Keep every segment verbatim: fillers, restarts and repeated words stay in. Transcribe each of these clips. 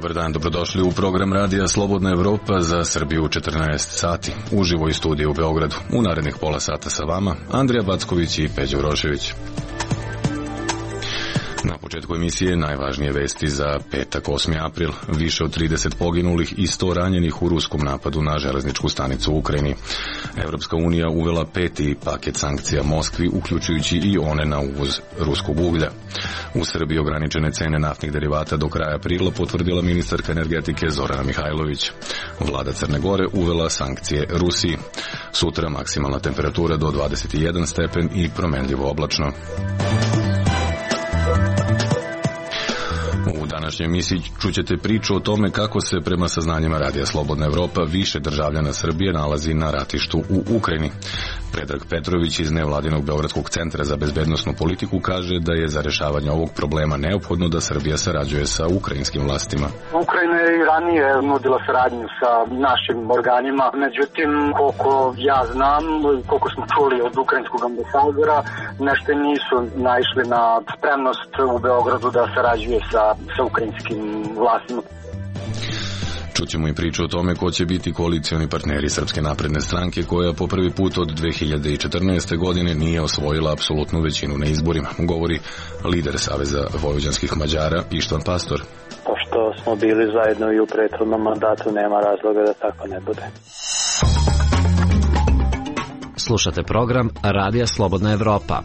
Dobar dan, dobrodošli u program Radija Slobodna Evropa za Srbiju u četrnaest sati. Uživo iz studija u Beogradu. U narednih pola sata sa vama Andrija Backović i Peđa Urošević. Na početku emisije najvažnije vesti za petak osmi april. Više od trideset poginulih i sto ranjenih u ruskom napadu na železničku stanicu u Ukrajini. Evropska unija uvela peti paket sankcija Moskvi, uključujući i one na uvoz ruskog uglja. U Srbiji ograničene cene naftnih derivata do kraja aprila potvrdila ministarka energetike Zorana Mihajlović. Vlada Crne Gore uvela sankcije Rusiji. Sutra maksimalna temperatura do dvadeset jedan stepen i promenljivo oblačno. U današnjoj emisiji čućete priču o tome kako se prema saznanjima Radija Slobodna Evropa više državljana Srbije nalazi na ratištu u Ukrajini. Predrag Petrović iz nevladinog Beogradskog centra za bezbednosnu politiku kaže da je za rešavanje ovog problema neophodno da Srbija sarađuje sa ukrajinskim vlastima. Ukrajina je i ranije nudila saradnju sa našim organima, međutim, koliko ja znam, koliko smo čuli od ukrajinskog ambasadora, nešto nisu naišli na spremnost u Beogradu da sarađuje sa, sa ukrajinskim vlastima. Čućemo i priču o tome ko će biti koalicioni partneri Srpske napredne stranke, koja po prvi put od dve hiljade četrnaeste. godine nije osvojila apsolutnu većinu na izborima, govori lider Saveza vojvođanskih Mađara Ištvan Pastor. Pošto smo bili zajedno i u prethodnom mandatu, nema razloga da tako ne bude. Slušate program Radija Slobodna Evropa.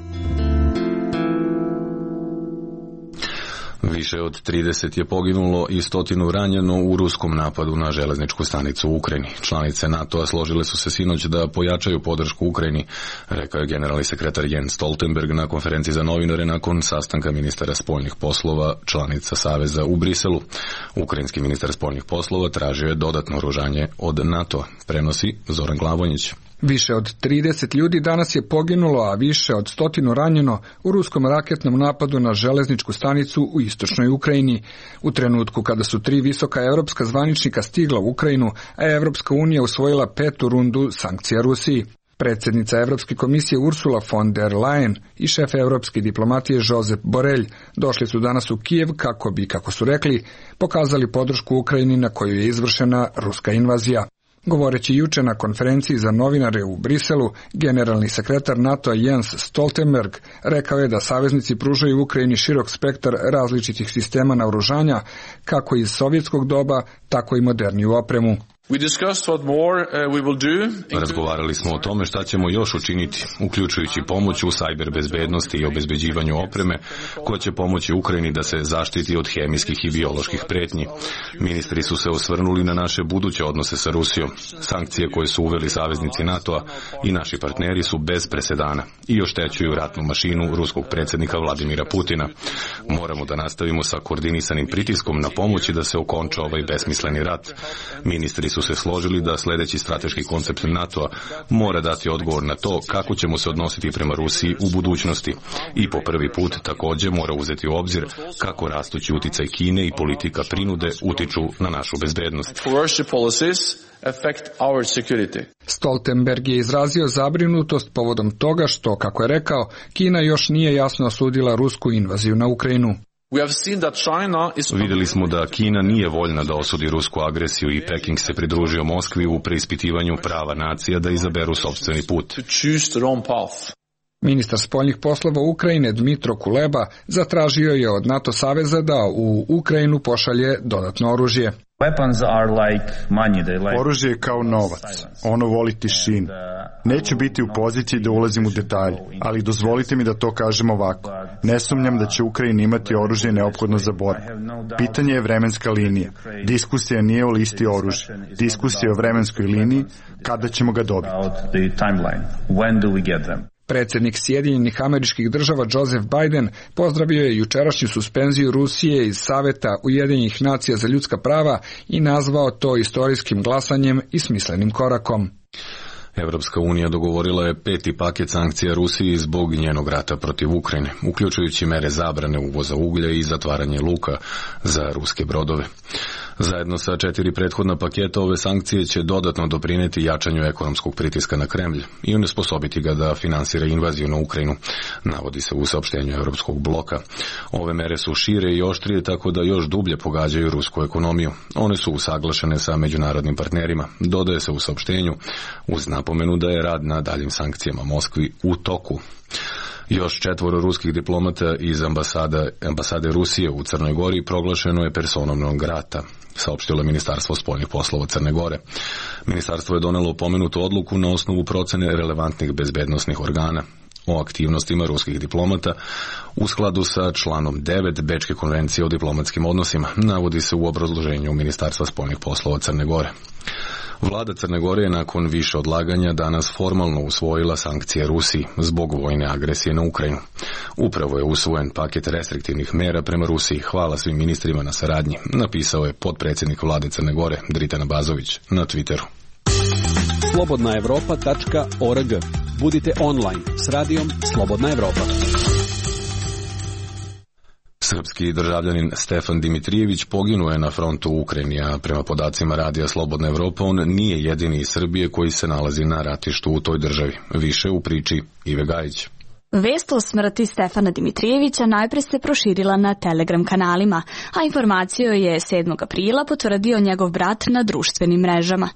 Više od trideset je poginulo i stotinu ranjeno u ruskom napadu na železničku stanicu u Ukrajini. Članice NATO-a složile su se sinoć da pojačaju podršku Ukrajini, rekao je generalni sekretar Jens Stoltenberg na konferenciji za novinare nakon sastanka ministara spoljnih poslova članica Saveza u Briselu. Ukrajinski ministar spoljnih poslova tražio je dodatno oružanje od NATO-a, prenosi Zoran Glavonjić. Više od trideset ljudi danas je poginulo, a više od stotinu ranjeno u ruskom raketnom napadu na železničku stanicu u istočnoj Ukrajini. U trenutku kada su tri visoka evropska zvaničnika stigla u Ukrajinu, a Evropska unija usvojila petu rundu sankcija Rusiji. Predsjednica Evropske komisije Ursula von der Leyen i šef evropske diplomatije Josep Borrell došli su danas u Kijev kako bi, kako su rekli, pokazali podršku Ukrajini na koju je izvršena ruska invazija. Govoreći juče na konferenciji za novinare u Briselu, generalni sekretar NATO-a Jens Stoltenberg rekao je da saveznici pružaju Ukrajini širok spektar različitih sistema naoružanja, kako iz sovjetskog doba, tako i moderniju opremu. Razgovarali smo o tome šta ćemo još učiniti, uključujući pomoć u sajber bezbednosti i obezbeđivanju opreme, koja će pomoći Ukrajini da se zaštiti od hemijskih i bioloških pretnji. Ministri su se osvrnuli na naše buduće odnose sa Rusijom. Sankcije koje su uveli saveznici NATO-a i naši partneri su bez presedana i oštećuju ratnu mašinu ruskog predsjednika Vladimira Putina. Moramo da nastavimo sa koordinisanim pritiskom na pomoći da se okonča ovaj besmisleni rat. Ministri su se složili da sljedeći strateški koncept NATO-a mora dati odgovor na to kako ćemo se odnositi prema Rusiji u budućnosti i po prvi put također mora uzeti u obzir kako rastući uticaj Kine i politika prinude utiču na našu bezbednost. Stoltenberg je izrazio zabrinutost povodom toga što, kako je rekao, Kina još nije jasno osudila rusku invaziju na Ukrajinu. Vidjeli smo da Kina nije voljna da osudi rusku agresiju i Peking se pridružio Moskvi u preispitivanju prava nacija da izaberu sopstveni put. Ministar spoljnih poslova Ukrajine Dmitro Kuleba zatražio je od NATO saveza da u Ukrajinu pošalje dodatno oružje. Oružje je kao novac. Ono voli tišinu. Neću biti u poziciji da ulazim u detalje, ali dozvolite mi da to kažem ovako. Ne sumnjam da će Ukrajina imati oružje neophodno za borbu. Pitanje je vremenska linija. Diskusija nije o listi oružja. Diskusija je o vremenskoj liniji, kada ćemo ga dobiti. Predsjednik Sjedinjenih Američkih Država Joseph Biden pozdravio je jučerašnju suspenziju Rusije iz Saveta Ujedinjenih nacija za ljudska prava i nazvao to istorijskim glasanjem i smislenim korakom. Evropska unija dogovorila je peti paket sankcija Rusiji zbog njenog rata protiv Ukrajine, uključujući mere zabrane uvoza uglja i zatvaranje luka za ruske brodove. Zajedno sa četiri prethodna paketa ove sankcije će dodatno doprineti jačanju ekonomskog pritiska na Kremlj i onesposobiti ga da finansira invaziju na Ukrajinu, navodi se u saopštenju Evropskog bloka. Ove mere su šire i oštrije tako da još dublje pogađaju rusku ekonomiju. One su usaglašene sa međunarodnim partnerima, dodaje se u saopštenju, uz napomenu da je rad na daljim sankcijama Moskvi u toku. Još četvoro ruskih diplomata iz ambasade, ambasade Rusije u Crnoj Gori proglašeno je personom non grata, saopštilo Ministarstvo spoljnih poslova Crne Gore. Ministarstvo je donelo pomenutu odluku na osnovu procene relevantnih bezbednosnih organa o aktivnostima ruskih diplomata u skladu sa članom devet Bečke konvencije o diplomatskim odnosima, navodi se u obrazloženju Ministarstva spoljnih poslova Crne Gore. Vlada Crne Gore je nakon više odlaganja danas formalno usvojila sankcije Rusiji zbog vojne agresije na Ukrajinu. Upravo je usvojen paket restriktivnih mera prema Rusiji. Hvala svim ministrima na saradnji, napisao je potpredsjednik vlade Crne Gore Dritan Abazović na Twitteru. slobodna evropa tačka org. Budite online s radijom Slobodna Evropa. Srpski državljanin Stefan Dimitrijević poginuo je na frontu u Ukrajini, a prema podacima Radija Slobodna Evropa on nije jedini iz Srbije koji se nalazi na ratištu u toj državi. Više u priči Ive Gajić. Vest o smrti Stefana Dimitrijevića najpre se proširila na Telegram kanalima, a informaciju je sedmog aprila potvrdio njegov brat na društvenim mrežama.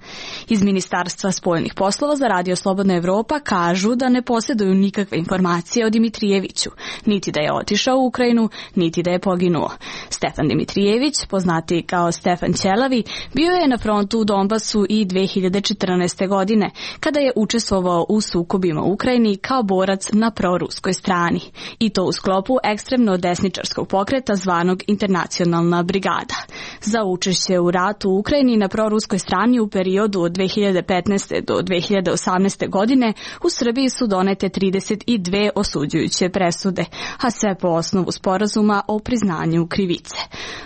Iz Ministarstva spoljnih poslova za Radio Slobodna Evropa kažu da ne posjeduju nikakve informacije o Dimitrijeviću, niti da je otišao u Ukrajinu, niti da je poginuo. Stefan Dimitrijević, poznati kao Stefan Ćelavi, bio je na frontu u Donbasu i dve hiljade četrnaeste. godine, kada je učestvovao u sukobima u Ukrajini kao borac na proruskoj strani, i to u sklopu ekstremno desničarskog pokreta zvanog Internacionalna brigada. Za učešće u ratu u Ukrajini na proruskoj strani u periodu od dve hiljade petnaeste. do dve hiljade osamnaeste. godine u Srbiji su donete trideset dve osuđujuće presude, a sve po osnovu sporazuma o priznanju krivice.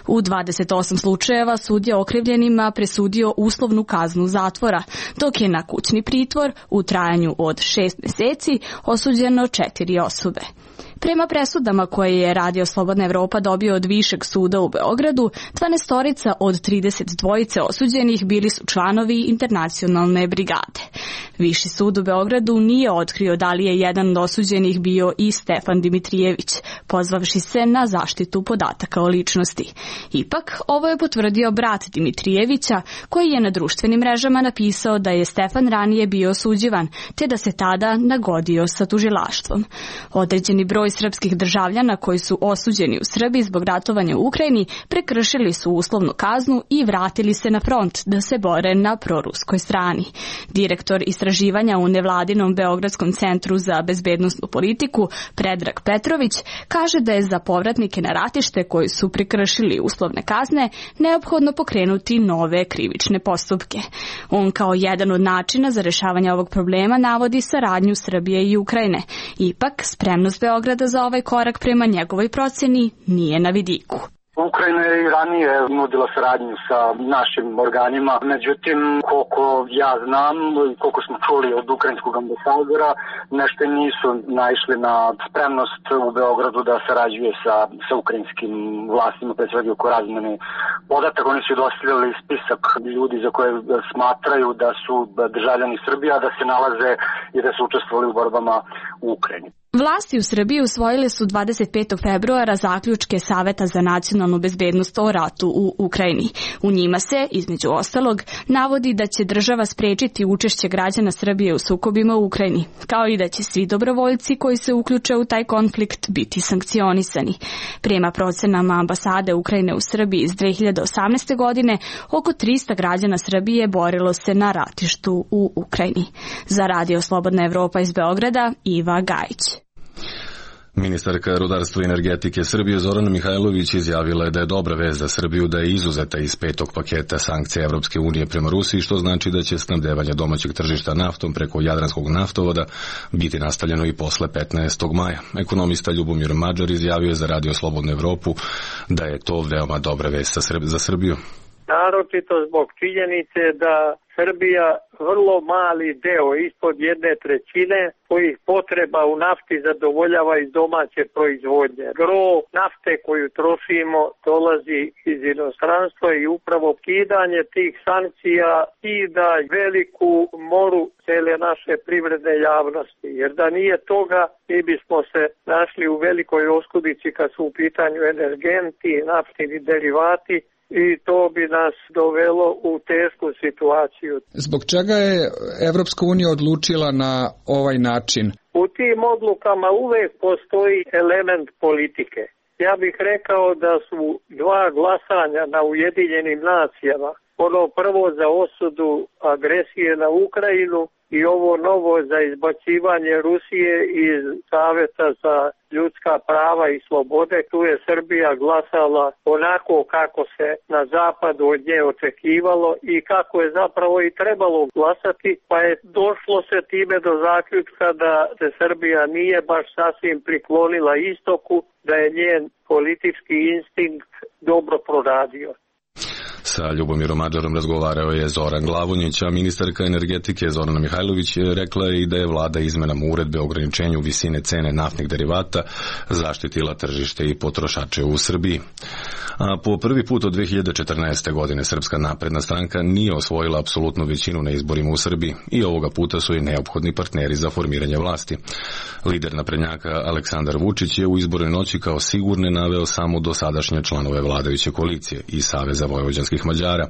U dvadeset osam slučajeva sud je okrivljenima presudio uslovnu kaznu zatvora, dok je na kućni pritvor u trajanju od šest meseci osuđeno četiri osobe. Prema presudama koje je Radio Slobodna Evropa dobio od Višeg suda u Beogradu, dvanaestorica od trideset dvojice osuđenih bili su članovi Internacionalne brigade. Viši sud u Beogradu nije otkrio da li je jedan od osuđenih bio i Stefan Dimitrijević, pozvavši se na zaštitu podataka o ličnosti. Ipak, ovo je potvrdio brat Dimitrijevića, koji je na društvenim mrežama napisao da je Stefan ranije bio osuđivan, te da se tada nagodio sa tužilaštvom. Određeni broj srpskih državljana koji su osuđeni u Srbiji zbog ratovanja u Ukrajini prekršili su uslovnu kaznu i vratili se na front da se bore na proruskoj strani. Direktor istraživanja u nevladinom Beogradskom centru za bezbednosnu politiku Predrag Petrović kaže da je za povratnike na ratište koji su prekršili uslovne kazne neophodno pokrenuti nove krivične postupke. On kao jedan od načina za rešavanje ovog problema navodi saradnju Srbije i Ukrajine. Ipak, spremnost Beograda za ovaj korak prema njegovoj proceni nije na vidiku. Ukrajina je i ranije nudila saradnju sa našim organima, međutim, koliko ja znam, koliko smo čuli od ukrajinskog ambasadora, nešto nisu naišli na spremnost u Beogradu da sarađuje sa, sa ukrajinskim vlastima, pre svega oko razmene podataka. Oni su dostavljali spisak ljudi za koje smatraju da su državljani Srbije, a da se nalaze i da su učestvovali u borbama u Ukrajini. Vlasti u Srbiji usvojile su dvadeset petog februara zaključke Saveta za nacionalnu bezbednost o ratu u Ukrajini. U njima se, između ostalog, navodi da će država sprečiti učešće građana Srbije u sukobima u Ukrajini, kao i da će svi dobrovoljci koji se uključe u taj konflikt biti sankcionisani. Prema procenama ambasade Ukrajine u Srbiji iz dve hiljade osamnaeste. godine, oko trista građana Srbije borilo se na ratištu u Ukrajini. Za Radio Slobodna Evropa iz Beograda, Iva Gajić. Ministarka rudarstva i energetike Srbije Zorana Mihajlović izjavila je da je dobra vest za Srbiju da je izuzeta iz petog paketa sankcija Evropske unije prema Rusiji, što znači da će snabdevanje domaćeg tržišta naftom preko Jadranskog naftovoda biti nastavljeno i posle petnaestog maja. Ekonomista Ljubomir Mađar izjavio je za Radio Slobodnu Evropu da je to veoma dobra vest za Srbiju. naročito zbog činjenice da Srbija vrlo mali deo, ispod jedne trećine, kojih potreba u nafti zadovoljava iz domaće proizvodnje. Gro nafte koju trošimo dolazi iz inostranstva i upravo kidanje tih sankcija i da veliku moru cele naše privredne javnosti. Jer da nije toga, mi bismo se našli u velikoj oskudici kad su u pitanju energenti, naftni derivati, i to bi nas dovelo u tešku situaciju. Zbog čega je Evropska unija odlučila na ovaj način? U tim odlukama uvek postoji element politike. Ja bih rekao da su dva glasanja na Ujedinjenim nacijama, ono prvo za osudu agresije na Ukrajinu i ovo novo za izbacivanje Rusije iz Saveta za ljudska prava i slobode. Tu je Srbija glasala onako kako se na zapadu od nje očekivalo i kako je zapravo i trebalo glasati, pa je došlo se time do zaključka da se Srbija nije baš sasvim priklonila istoku, da je njen politički instinkt dobro proradio. Sa Ljubomirom Mađarom razgovarao je Zoran Glavonjić, a ministarka energetike Zorana Mihajlović rekla je i da je vlada izmenama uredbe o ograničenju visine cene naftnih derivata zaštitila tržište i potrošače u Srbiji. A po prvi put od dve hiljade četrnaeste. godine Srpska napredna stranka nije osvojila apsolutnu većinu na izborima u Srbiji i ovoga puta su i neophodni partneri za formiranje vlasti. Lider naprednjaka Aleksandar Vučić je u izbornoj noći kao sigurne naveo samo dosadašnje članove vladajuće koalicije i Saveza vojvođanskih Mađara,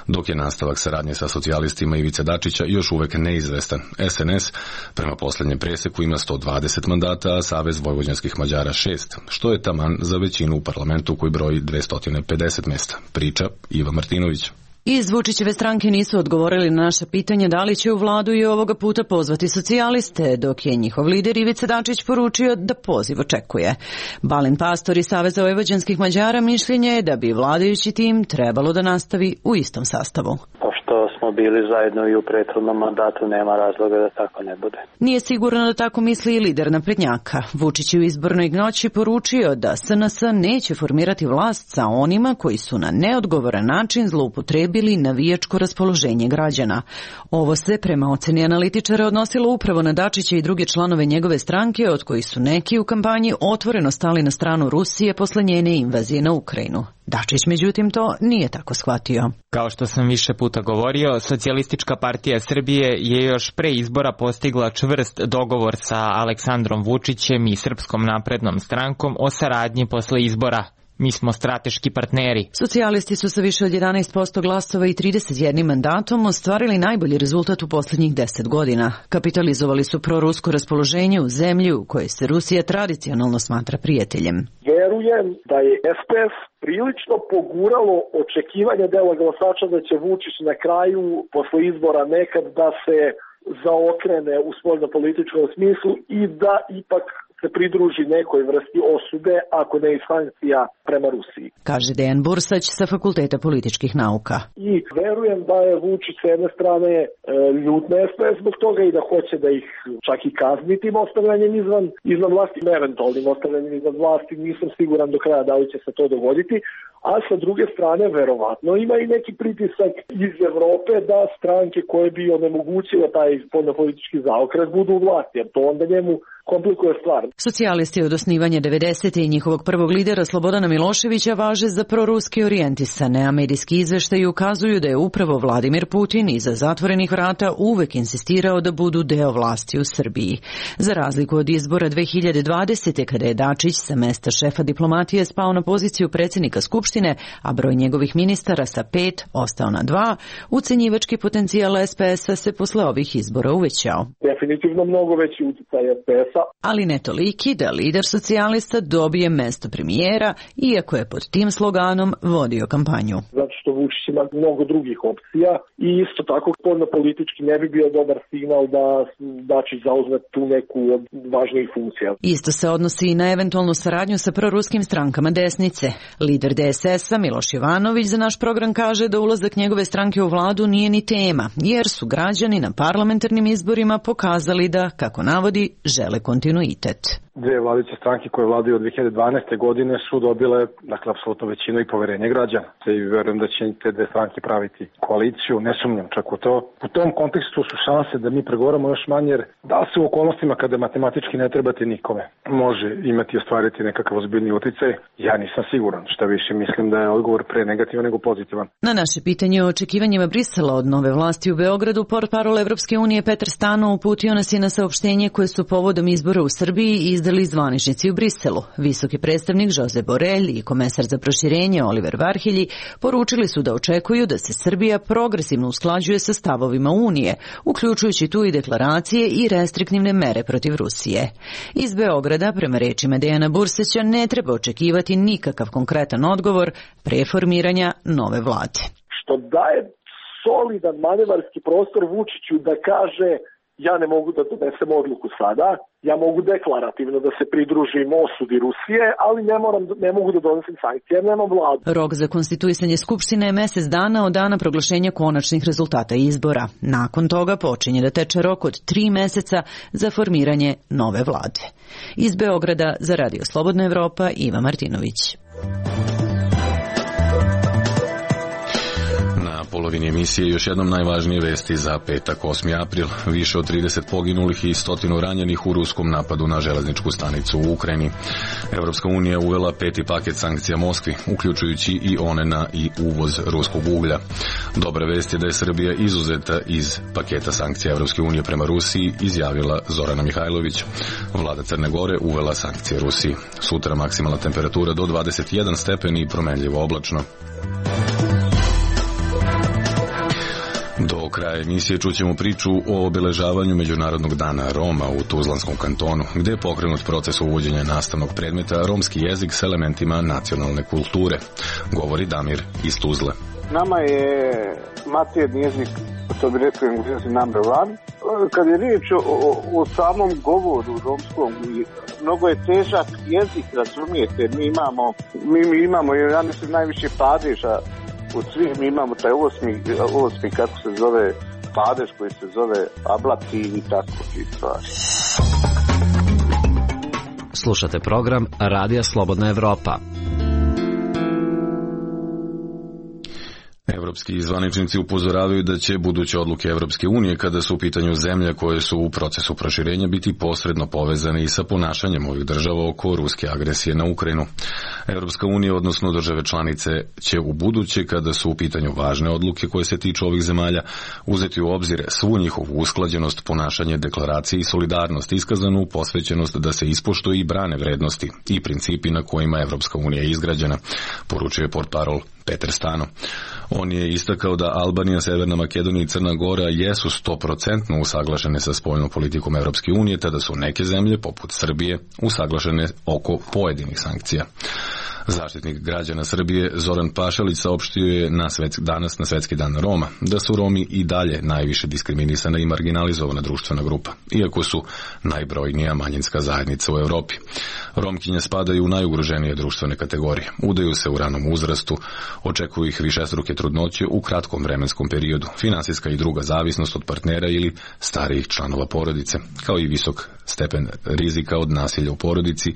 dok je nastavak saradnje sa socijalistima Ivice Dačića još uvek neizvestan. es en es prema posljednjem preseku ima sto dvadeset mandata, a Savez vojvođanskih Mađara šest, što je taman za većinu u parlamentu koji broji dvesta pedeset mesta. Priča Iva Martinović. Iz Vučićeve stranke nisu odgovorili na naše pitanje da li će u vladu i ovoga puta pozvati socijaliste, dok je njihov lider Ivica Dačić poručio da poziv očekuje. Balint Pastor iz Saveza vojvođanskih Mađara mišljenje je da bi vladajući tim trebalo da nastavi u istom sastavu. Pošto smo bili zajedno i u prethodnom mandatu, nema razloga da tako ne bude. Nije sigurno da tako misli i lider naprednjaka. Vučić je u izbornoj noći poručio da es en es neće formirati vlast sa onima koji su na neodgovoran način zloupotrebili navijačko raspoloženje građana. Ovo se prema oceni analitičara odnosilo upravo na Dačića i druge članove njegove stranke, od kojih su neki u kampanji otvoreno stali na stranu Rusije posle njene invazije na Ukrajinu. Dačić, međutim, to nije tako shvatio. Kao što sam više puta govorio, Socijalistička partija Srbije je još pre izbora postigla čvrst dogovor sa Aleksandrom Vučićem i Srpskom naprednom strankom o saradnji posle izbora. Mi smo strateški partneri. Socijalisti su sa više od jedanaest posto glasova i trideset jedan mandatom ostvarili najbolji rezultat u posljednjih deset godina. Kapitalizovali su prorusko raspoloženje u zemlji u kojoj se Rusija tradicionalno smatra prijateljem. Verujem da je es pe es prilično poguralo očekivanje dela glasača da će Vučić na kraju, posle izbora, nekad da se zaokrene u spoljnopolitičkom smislu i da ipak se pridruži nekoj vrsti osude, ako ne i sankcija prema Rusiji. Kaže Dejan Bursać sa Fakulteta političkih nauka. I verujem da je Vučić s jedne strane e, ljut na es pe es zbog toga i da hoće da ih čak i kazni tim ostavljanjem izvan, izvan vlasti, eventualnim ostavljanjem izvan vlasti, nisam siguran do kraja da li će se to dogoditi, a sa druge strane verovatno ima i neki pritisak iz Evrope da stranke koje bi onemogućile taj spoljnopolitički zaokret budu u vlasti, jer to onda njemu komplikuje stvar. Socijalisti od osnivanja devedesetih i njihovog prvog lidera Slobodana Miloševića važe za proruski orijentisane, a medijski izveštaji ukazuju da je upravo Vladimir Putin iza zatvorenih vrata uvek insistirao da budu deo vlasti u Srbiji. Za razliku od izbora dve hiljade dvadesete. kada je Dačić sa mesta šefa diplomatije spao na poziciju predsjednika Skupštine, a broj njegovih ministara sa pet ostao na dva, ucenjivački potencijal es pe es-a se posle ovih izbora uvećao. Definitivno mnogo veći uticaj es pe es-a. Ali ne toliki da lider socijalista dobije mesto premijera, iako je pod tim sloganom vodio kampanju. Zato što Vučić ima mnogo drugih opcija i isto tako spoljno politički ne bi bio dobar signal da Dačić zauzme tu neku od važnijih funkcija. Isto se odnosi i na eventualnu saradnju sa proruskim strankama desnice. Lider de es es-a Miloš Jovanović za naš program kaže da ulazak njegove stranke u vladu nije ni tema, jer su građani na parlamentarnim izborima pokazali da, kako navodi, žele kontinuitet. dve vladajuće stranke koje vladaju od dve hiljade dvanaeste godine su dobile, dakle, apsolutno većinu i poverenje građana. I verujem da će te dve stranke praviti koaliciju, ne sumnjam čak u to. U tom kontekstu su šanse da mi pregovaramo još manje, jer da se u okolnostima kada matematički ne trebate nikome može imati i ostvariti nekakav ozbiljni uticaj, ja nisam siguran. Šta više, mislim da je odgovor pre negativan nego pozitivan. Na naše pitanje o očekivanjima Brisela od nove vlasti u Beogradu, portparol Evropske unije Petar Stano uputio nas je na saopštenje koje su povodom izbora u Srbiji izdali zvaničnici u Briselu. Visoki predstavnik Josep Borrell i komesar za proširenje Oliver Varhelji poručili su da očekuju da se Srbija progresivno usklađuje sa stavovima Unije, uključujući tu i deklaracije i restriktivne mere protiv Rusije. Iz Beograda, prema rečima Dejana Burseća, ne treba očekivati nikakav konkretan odgovor pre formiranja nove vlade. Što daje solidan manevarski prostor Vučiću da kaže ja ne mogu da donesem odluku sada, ja mogu deklarativno da se pridružim osudi Rusije, ali ne, moram, ne mogu da donesem sankcije, jer nemam vladu. Rok za konstituisanje Skupštine je mesec dana od dana proglašenja konačnih rezultata izbora. Nakon toga počinje da teče rok od tri meseca za formiranje nove vlade. Iz Beograda za Radio Slobodna Evropa, Iva Martinović. Polovini emisije još jednom najvažnije vesti za petak osmi april. Više od trideset poginulih i stotinu ranjenih u ruskom napadu na železničku stanicu u Ukrajini. Evropska unija uvela peti paket sankcija Moskvi, uključujući i one na i uvoz ruskog uglja. Dobra vest je da je Srbija izuzeta iz paketa sankcija Evropske unije prema Rusiji, izjavila Zorana Mihajlović. Vlada Crne Gore uvela sankcije Rusiji. Sutra maksimalna temperatura do dvadeset jedan stepeni i promenljivo oblačno. Do kraja emisije čućemo priču o obeležavanju Međunarodnog dana Roma u Tuzlanskom kantonu, gde je pokrenut proces uvođenja nastavnog predmeta romski jezik s elementima nacionalne kulture. Govori Damir iz Tuzle. Nama je maternji jezik, to bi rekao Englezi, number one. Kad je riječ o, o, o samom govoru romskom, mnogo je težak jezik, razumijete. Mi imamo, mi, mi imamo, ja mislim, najviše padeža od svih. Mi imamo taj osmi, osmi kako se zove, padež koji se zove ablativ i tako ti stvari. Slušate program Radija Slobodna Evropa. Evropski zvaničnici upozoravaju da će buduće odluke Evropske unije kada su u pitanju zemlje koje su u procesu proširenja biti posredno povezane i sa ponašanjem ovih država oko ruske agresije na Ukrajinu. Evropska unija, odnosno države članice, će u buduće kada su u pitanju važne odluke koje se tiču ovih zemalja uzeti u obzir svu njihovu usklađenost, ponašanje, deklaracije i solidarnost, iskazanu posvećenost da se ispoštuje i brane vrednosti i principi na kojima Evropska unija je izgrađena, poručuje portparol Petar Stano. On je istakao da Albanija, Severna Makedonija i Crna Gora jesu sto posto usaglašene sa spoljnom politikom Evropske unije, tada su neke zemlje, poput Srbije, usaglašene oko pojedinih sankcija. Zaštitnik građana Srbije Zoran Pašalić saopštio je na svetski, danas na Svetski dan Roma da su Romi i dalje najviše diskriminisana i marginalizovana društvena grupa, iako su najbrojnija manjinska zajednica u Evropi. Romkinje spadaju u najugroženije društvene kategorije, udaju se u ranom uzrastu, očekuju ih višestruke trudnoće u kratkom vremenskom periodu, finansijska i druga zavisnost od partnera ili starijih članova porodice, kao i visok stepen rizika od nasilja u porodici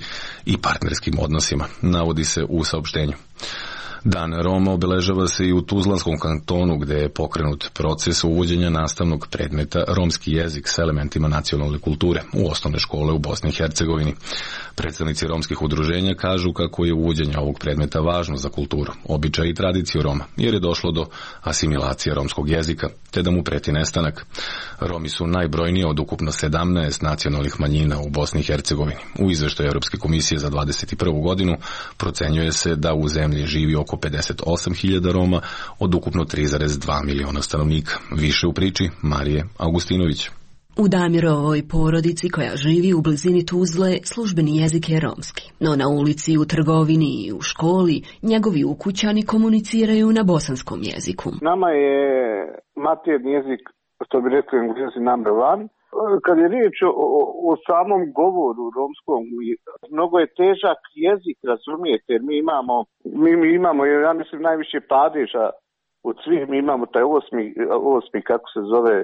i partnerskim odnosima, navodi se u saopštenju. Dan Roma obeležava se i u Tuzlanskom kantonu, gde je pokrenut proces uvođenja nastavnog predmeta romski jezik s elementima nacionalne kulture u osnovne škole u Bosni i Hercegovini. Predstavnici romskih udruženja kažu kako je uvođenje ovog predmeta važno za kulturu, običaj i tradiciju Roma, jer je došlo do asimilacije romskog jezika, te da mu preti nestanak. Romi su najbrojniji od ukupno sedamnaest nacionalnih manjina u Bosni i Hercegovini. U izveštaju Evropske komisije za dvadeset prvu godinu procenjuje se da u zemlji živi oko pedeset osam hiljada Roma od ukupno tri zarez dva miliona stanovnika. Više u priči Marije Augustinović. U Damirovoj porodici koja živi u blizini Tuzle službeni jezik je romski, no na ulici, u trgovini i u školi njegovi ukućani komuniciraju na bosanskom jeziku. Nama je maternji jezik, što bi rekli Englezi, number one. Kad je riječ o, o, o samom govoru romskom, mnogo je težak jezik, razumijete, jer mi imamo, mi, mi imamo, ja mislim, najviše padeža od svih. Mi imamo taj osmi, osmi kako se zove,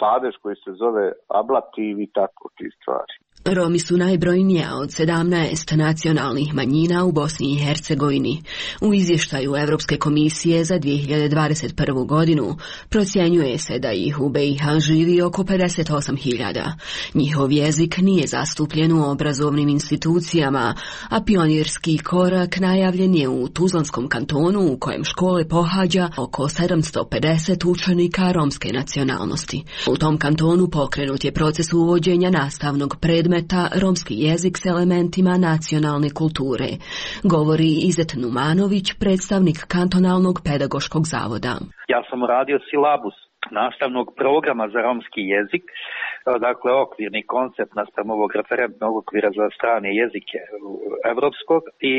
padež koji se zove ablativ i tako ti stvari. Romi su najbrojnija od sedamnaest nacionalnih manjina u Bosni i Hercegovini. U izvještaju Evropske komisije za dvije hiljade dvadeset prvu godinu procjenjuje se da ih u B i H živi oko pedeset osam hiljada. Njihov jezik nije zastupljen u obrazovnim institucijama, a pionirski korak najavljen je u Tuzlanskom kantonu u kojem škole pohađa oko sedamsto pedeset učenika romske nacionalnosti. U tom kantonu pokrenut je proces uvođenja nastavnog predmeta romski jezik s elementima nacionalne kulture, govori Izet Numanović, predstavnik kantonalnog pedagoškog zavoda. Ja sam radio silabus nastavnog programa za romski jezik, dakle okvirni koncept naspram ovog referentnog okvira za strane jezike evropskog i,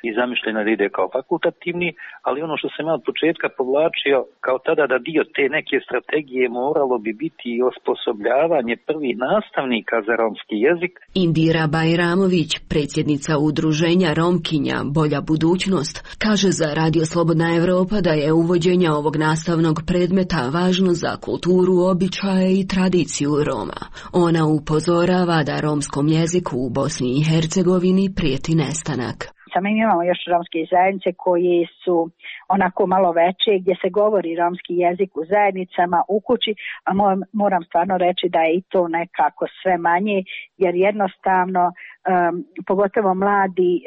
i zamišljeno da ide kao fakultativni, ali ono što sam ja od početka povlačio kao tada da dio te neke strategije moralo bi biti osposobljavanje prvih nastavnika za romski jezik. Indira Bajramović, predsjednica udruženja Romkinja Bolja budućnost, kaže za Radio Slobodna Evropa da je uvođenje ovog nastavnog predmeta važno za kulturu, običaje i tradiciju Roma. Ona upozorava da romskom jeziku u Bosni i Hercegovini prijeti nestanak. Mi imamo još romske zajednice koji su onako malo veće, gdje se govori romski jezik u zajednicama, u kući, a moram stvarno reći da je i to nekako sve manje, jer jednostavno, um, pogotovo mladi, uh,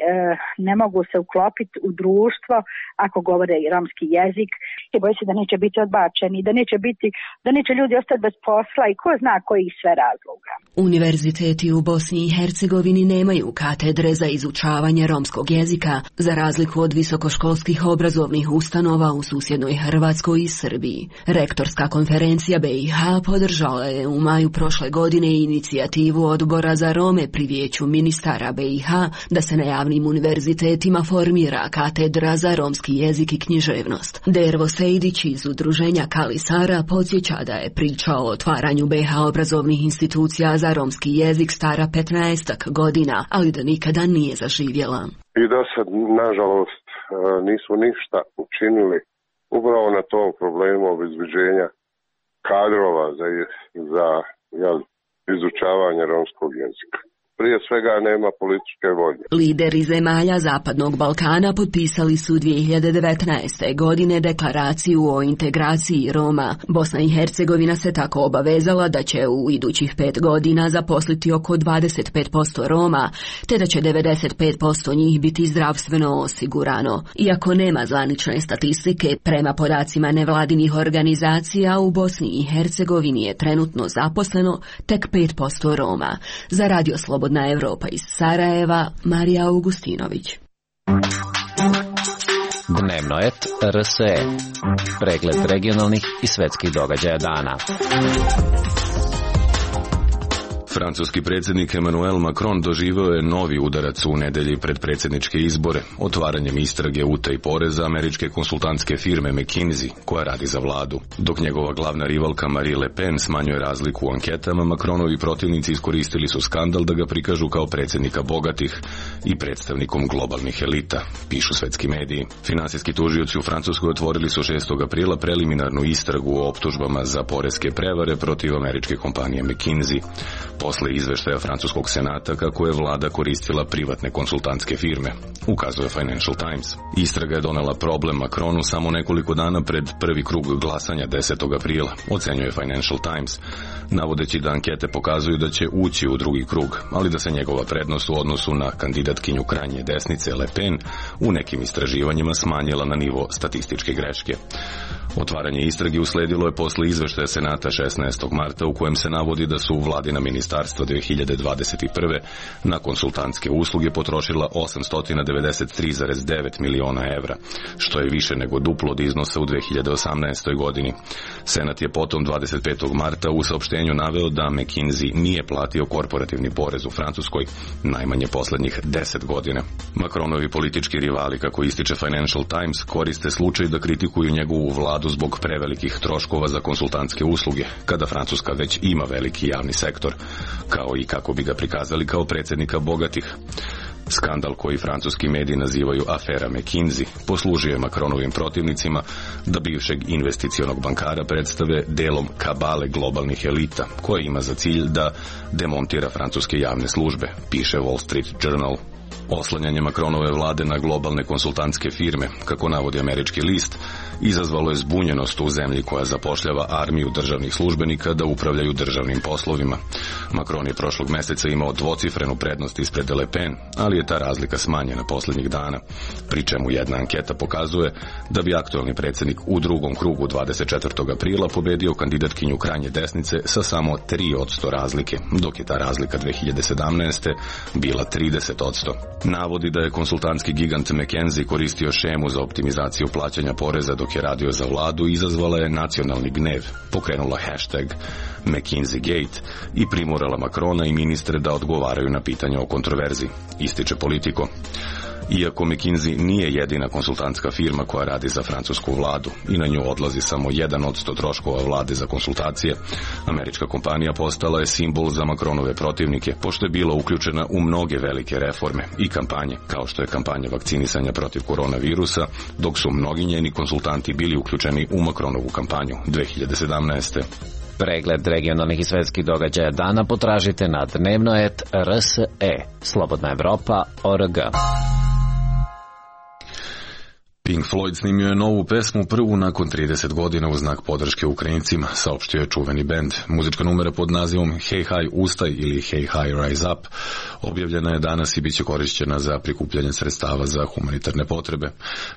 ne mogu se uklopiti u društvo ako govore romski jezik. I boji se da neće biti odbačeni, da neće biti, da neće ljudi ostati bez posla i ko zna kojih sve razloga. Univerziteti u Bosni i Hercegovini nemaju katedre za izučavanje romskog jezika, za razliku od visokoškolskih obrazovnih ustanova u susjednoj Hrvatskoj i Srbiji. Rektorska konferencija B i H podržala je u maju prošle godine inicijativu Odbora za Rome pri Vijeću ministara B i H da se na javnim univerzitetima formira katedra za romski jezik i književnost. Dervo Sejdić iz udruženja Kali Sara podsjeća da je priča o otvaranju B i H obrazovnih institucija za romski jezik stara petnaestak godina, ali da nikada nije zaživjela. I do sad, nažalost, nismo ništa učinili upravo na tom problemu obezbeđenja kadrova za, za jel, izučavanje romskog jezika. Prije svega nema političke volje. Lideri zemalja Zapadnog Balkana potpisali su dvije hiljade devetnaeste. godine deklaraciju o integraciji Roma. Bosna i Hercegovina se tako obavezala da će u idućih pet godina zaposliti oko dvadeset pet posto Roma, te da će devedeset pet posto njih biti zdravstveno osigurano. Iako nema zvanične statistike, prema podacima nevladinih organizacija u Bosni i Hercegovini je trenutno zaposleno tek pet posto Roma. Za Radio Slobodna Evropa iz Sarajeva, Marija Augustinović. Dnevno et R S E. Pregled regionalnih i svetskih događaja dana. Francuski predsjednik Emmanuel Macron doživio je novi udarac u nedelji pred predsjedničke izbore, otvaranjem istrage utaje poreza američke konsultantske firme McKinsey, koja radi za vladu. Dok njegova glavna rivalka Marine Le Pen smanjuje razliku u anketama, Macronovi protivnici iskoristili su skandal da ga prikažu kao predsjednika bogatih i predstavnikom globalnih elita, pišu svetski mediji. Finansijski tužioci u Francuskoj otvorili su šestog aprila preliminarnu istragu o optužbama za poreske prevare protiv američke kompanije McKinsey. Posle izveštaja francuskog senata kako je vlada koristila privatne konsultantske firme, ukazuje Financial Times. Istraga je donela problem Macronu samo nekoliko dana pred prvi krug glasanja desetog aprila, ocenjuje Financial Times, navodeći da ankete pokazuju da će ući u drugi krug, ali da se njegova prednost u odnosu na kandidatkinju krajnje desnice Le Pen u nekim istraživanjima smanjila na nivo statističke greške. Otvaranje istrage usledilo je posle izveštaja senata šesnaestog marta u kojem se navodi da su vladina ministarstva dvije hiljade dvadeset prve na konsultantske usluge potrošila osamsto devedeset tri zarez devet miliona evra, što je više nego duplo od iznosa u dvije hiljade osamnaestoj. godini. Senat je potom dvadeset petog marta u saopštenju naveo da McKinsey nije platio korporativni porez u Francuskoj najmanje poslednjih deset godina. Macronovi politički rivali, kako ističe Financial Times, koriste slučaj da kritikuju njegovu vladu zbog prevelikih troškova za konsultantske usluge, kada Francuska već ima veliki javni sektor, kao i kako bi ga prikazali kao predsjednika bogatih. Skandal koji francuski mediji nazivaju afera McKinsey poslužio je Macronovim protivnicima da bivšeg investicionog bankara predstave delom kabale globalnih elita, koja ima za cilj da demontira francuske javne službe, piše Wall Street Journal. Oslanjanje Macronove vlade na globalne konsultantske firme, kako navodi američki list, izazvalo je zbunjenost u zemlji koja zapošljava armiju državnih službenika da upravljaju državnim poslovima. Macron je prošlog meseca imao dvocifrenu prednost ispred Le Pen, ali je ta razlika smanjena posljednjih dana, pri čemu jedna anketa pokazuje da bi aktualni predsjednik u drugom krugu dvadeset četvrtog aprila pobedio kandidatkinju krajnje desnice sa samo tri posto razlike, dok je ta razlika dve hiljade sedamnaeste. bila trideset posto. Navodi da je konsultantski gigant McKinsey koristio šemu za optimizaciju plaćanja poreza dok je radio za vladu, izazvala je nacionalni gnev, pokrenula hashtag McKinseyGate i primorala Macrona i ministre da odgovaraju na pitanja o kontroverziji, ističe Politico. Iako McKinsey nije jedina konsultantska firma koja radi za francusku vladu i na nju odlazi samo jedan posto troškova vlade za konsultacije, američka kompanija postala je simbol za Macronove protivnike, pošto je bila uključena u mnoge velike reforme i kampanje, kao što je kampanja vakcinisanja protiv koronavirusa, dok su mnogi njeni konsultanti bili uključeni u Macronovu kampanju dve hiljade sedamnaeste. Pregled regionalnih i svetskih događaja dana potražite na dnevnoet R S E, Slobodna Evropa, O R G. Pink Floyd snimio je novu pesmu, prvu nakon trideset godina u znak podrške Ukrajincima, saopštio je čuveni bend. Muzička numera pod nazivom Hey Hi Ustaj ili Hey Hi Rise Up objavljena je danas i bit će korišćena za prikupljanje sredstava za humanitarne potrebe.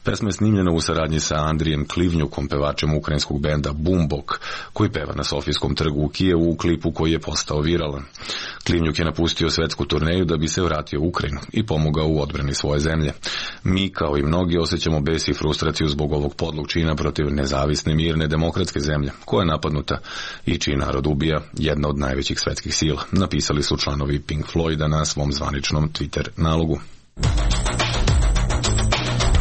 Pesma je snimljena u saradnji sa Andrijem Klivnjukom, pevačem ukrajinskog benda Bumbok, koji peva na Sofijskom trgu u Kijevu u klipu koji je postao viralan. Klivnjuk je napustio svetsku turneju da bi se vratio u Ukrajinu i pomogao u odbrani svoje zemlje. Mi, kao i mnogi, osjećamo bes i frustraciju zbog ovog podlog čina protiv nezavisne, mirne, demokratske zemlje, koja je napadnuta i čiji narod ubija jedna od najvećih svetskih sila, napisali su članovi Pink Floyda na svom zvaničnom Twitter nalogu.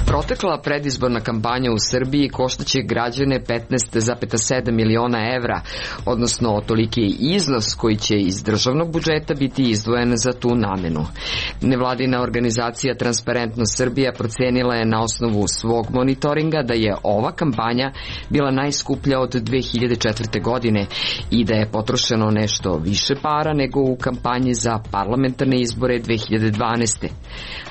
Protekla predizborna kampanja u Srbiji koštaće građane petnaest zarez sedam miliona evra, odnosno toliki je iznos koji će iz državnog budžeta biti izdvojen za tu namenu. Nevladina organizacija Transparentnost Srbija procenila je na osnovu svog monitoringa da je ova kampanja bila najskuplja od dve hiljade četvrte. godine i da je potrošeno nešto više para nego u kampanji za parlamentarne izbore dve hiljade dvanaeste.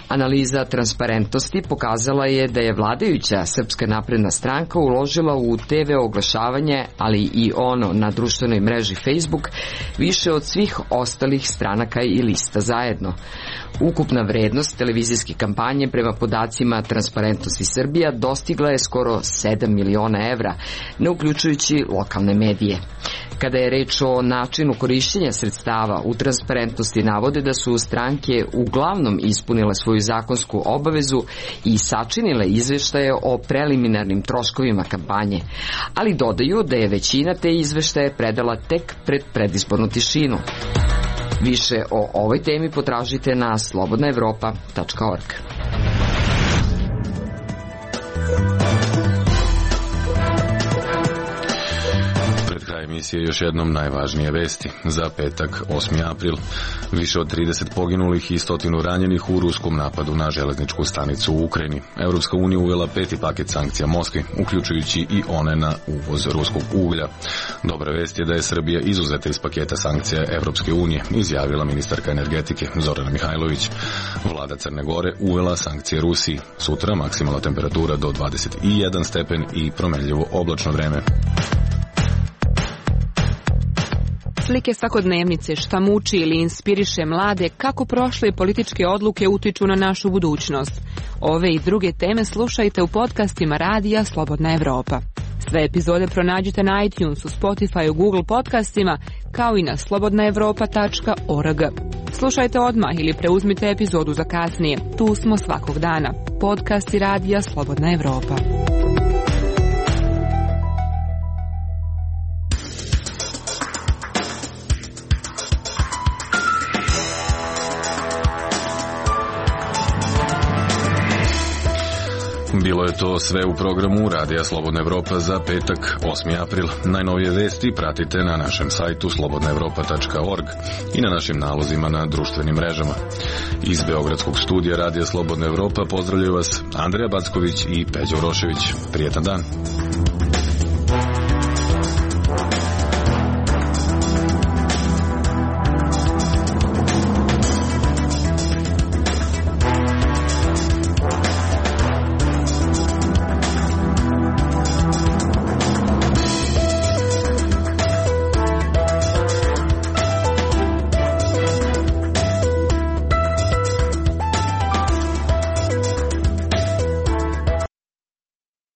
Analiza Transparentnosti pokazala je da je vladajuća Srpska napredna stranka uložila u te ve oglašavanje, ali i ono na društvenoj mreži Facebook, više od svih ostalih stranaka i lista zajedno. Ukupna vrednost televizijske kampanje prema podacima Transparentnosti Srbija dostigla je skoro sedam miliona evra, ne uključujući lokalne medije. Kada je reč o načinu korišćenja sredstava, u Transparentnosti navode da su stranke uglavnom ispunile svoju zakonsku obavezu i sačinile izveštaje o preliminarnim troškovima kampanje, ali dodaju da je većina te izveštaje predala tek pred predizbornu tišinu. Više o ovoj temi potražite na slobodna evropa tačka org. Emisije još jednom najvažnije vesti. Za petak, osmi april, više od trideset poginulih i stotinu ranjenih u ruskom napadu na železničku stanicu u Ukrajini. Evropska unija uvela peti paket sankcija Moskvi, uključujući i one na uvoz ruskog uglja. Dobra vest je da je Srbija izuzeta iz paketa sankcija Evropske unije, izjavila ministarka energetike Zorana Mihajlović. Vlada Crne Gore uvela sankcije Rusiji. Sutra maksimalna temperatura do dvadeset jedan stepen i promenljivo oblačno vreme. Slike svakodnevnice, šta muči ili inspiriše mlade, kako prošle političke odluke utiču na našu budućnost. Ove i druge teme slušajte u podcastima radija Slobodna Evropa. Sve epizode pronađite na iTunesu, Spotifyu, Google podcastima, kao i na slobodna evropa tačka org. Slušajte odmah ili preuzmite epizodu za kasnije. Tu smo svakog dana. Podcasti radija Slobodna Evropa. Bilo je to sve u programu Radija Slobodna Evropa za petak, osmi april. Najnovije vesti pratite na našem sajtu slobodna evropa tačka org i na našim nalozima na društvenim mrežama. Iz Beogradskog studija Radija Slobodna Evropa pozdravljaju vas Andreja Backović i Peđa Urošević. Prijetan dan!